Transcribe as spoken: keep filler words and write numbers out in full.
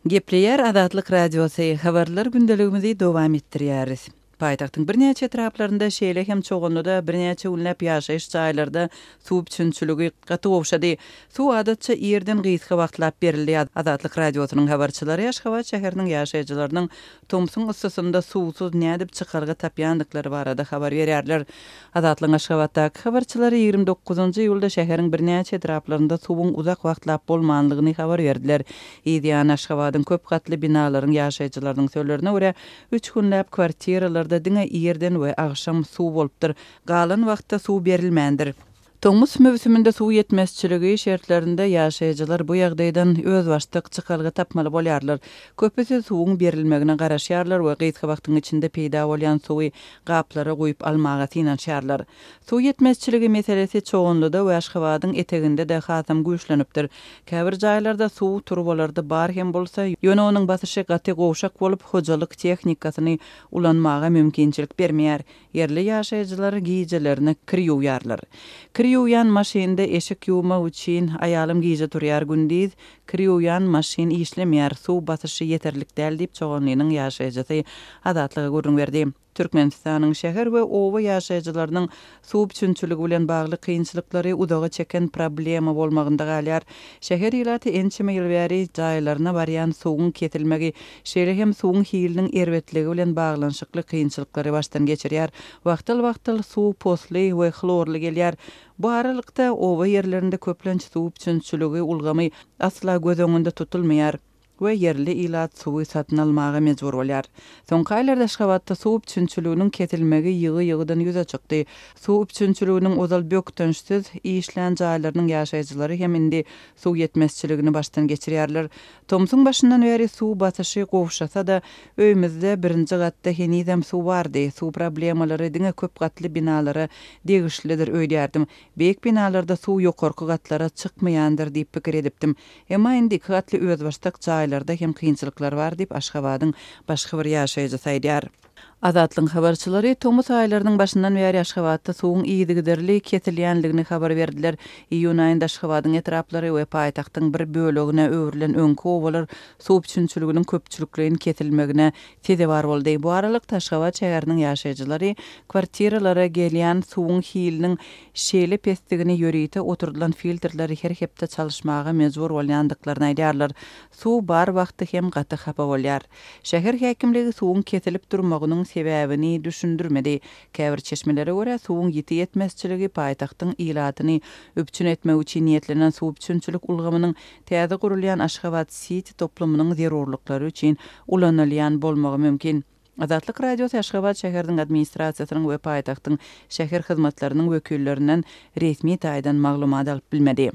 Gepleýär Azatlyk Radiosy, Habarlar gündeligimizi dowam etdirýäris. Paýtagtyň birnäçe etraplarynda, şeýle hem Çoganlyda birnäçe günläp ýaşaýyş jaýlarda suw üpjünçiligi gaty gowşady. Suw adatça irden gysga wagtlap berildi. Azatlyk Radiosynyň habarçylary Aşgabat şäheriniň ýaşaýjylarynyň tomsuň yssysynda suwsuz nädip çykalga tapýandyklary barada habar berýärler. Azatlygyň Aşgabatdaky habarçylary ýigrimi dokuzynjy iýulda şäheriň birnäçe etraplarynda suwuň uzak wagtlap bolmanlygyny habar berdiler. Yzýany Aşgabadyň köp gatly binalaryň ýaşaýjylarynyň sözlerine görä, üç günläp kwartiralarda diňe irden we agşam suw bolupdyr, galan wagtda suw berilmändir. Tomus möwsüminde suw ýetmezçiligi şertlerinde ýaşaýjylar bu ýagdaýdan özbaşdak çykalga tapmaly bolýarlar. Köpüsi suwuň berilmegine garaşýarlar we gysga wagtyň içinde peýda bolýan suwy gaplara guýup almaga synanyşýarlar. Suw ýetmezçiligi meselesi Çoganlyda we Aşgabadyň eteginde-de hasam güýçlenipdir. Käbir jaýlarda suw turbalarda bar hem bolsa, ýöne onuň basyşy gaty gowşak bolup, hojalyk tehnikasyny ulanmaga mümkinçilik bermeýär. Ýerli ýaşaýjylar gijelerine kir ýuwýarlar. Kir ýuwýan maşynda eşik ýuwmak üçin aýalym gije turýar, gündiz kir ýuwýan maşyn işlemeýär, suw basyşy ýeterlik däl diýip, Çoganlynyň ýaşaýjysy Azatlyga gürrüň berdi. Türkmenistanyň şäher we oba ýaşaýjylarynyň suw üpjünçiligi bilen bagly kynçylyklary uzaga çeken problema bolmagynda galýar. Şäher ilaty ençeme ýyl bäri jaýlaryna barýan suwuň kesilmegi, şeýle hem suwuň hiliniň erbetligi bilen baglanyşykly kynçylyklary başdan geçirýär. Wagtal-wagtal suw posly we hlorly gelýär. Bu aralykda oba ýerlerinde köplenç suw üpjünçiligi ulgamy asla göz öňünde tutulmaýar we ýerli ilat suwy satyn almaga mejbur bolýar. Soňky aýlarda Aşgabatda suw üpjünçiliginiň kesilmegi ýygy-ýygydan ýüze çykdy. Suw üpjünçiliginiň ozal bökdençsiz işlän jaýlarynyň ýaşaýjylary hem indi suw ýetmezçiligini başdan geçirýärler. Tomsuň başyndan bäri suw basyşy gowşasa-da, öýümizde birinji gatda henizem suw bardy. Suw problemalary diňe köp gatly binalara degişlidir öýdýärdim. Beýik binalarda suw ýokarky gatlara çykmaýandyr diýip pikir edipdim. Emma indi iki gatly özbaşdak jaýlarda hem kynçylyklar bar diýip, Aşgabadyň başga bir ýaşaýjysy aýdýar. Azatlygyň habarçylary tomus aýlarynyň başyndan bäri Aşgabatda suwuň yzygiderli kesilýänligini habar berdiler. Iýun aýynda Aşgabadyň etraplary we paýtagtyň bir bölegine öwrülen öňki obalar suw üpjünçiliginiň köpçülikleýin kesilmegine sezewar boldy. Bu aralykda Aşgabat şäheriniň ýaşaýjylary kwartiralara gelýän suwuň hiliniň şeýle pesdigini ýörite oturdylan filtrleri her hepde çalyşmaga mejbur bolýandyklaryny aýdýarlar. Suw bar wagty hem gaty hapa bolýar. Şäher häkimligi suwuň kesilip durmagynyň sebäbini düşündirmedi. Käbir çeşmelere görä, suwuň ýiti ýetmezçiligi paýtagtyň ilatyny üpjün etmek üçin niýetlenen suw üpjünçilik ulgamynyň täze gurulýan Aşgabat Siti toplumynyň zerurlyklary üçin ulanylýan bolmagy mümkin. Azatlyk Radiosy Aşgabat şäheriniň administrasiýasynyň we paýtagtyň şäher hyzmatlarynyň wekillerinden resmi taýdan maglumat alyp bilmedi.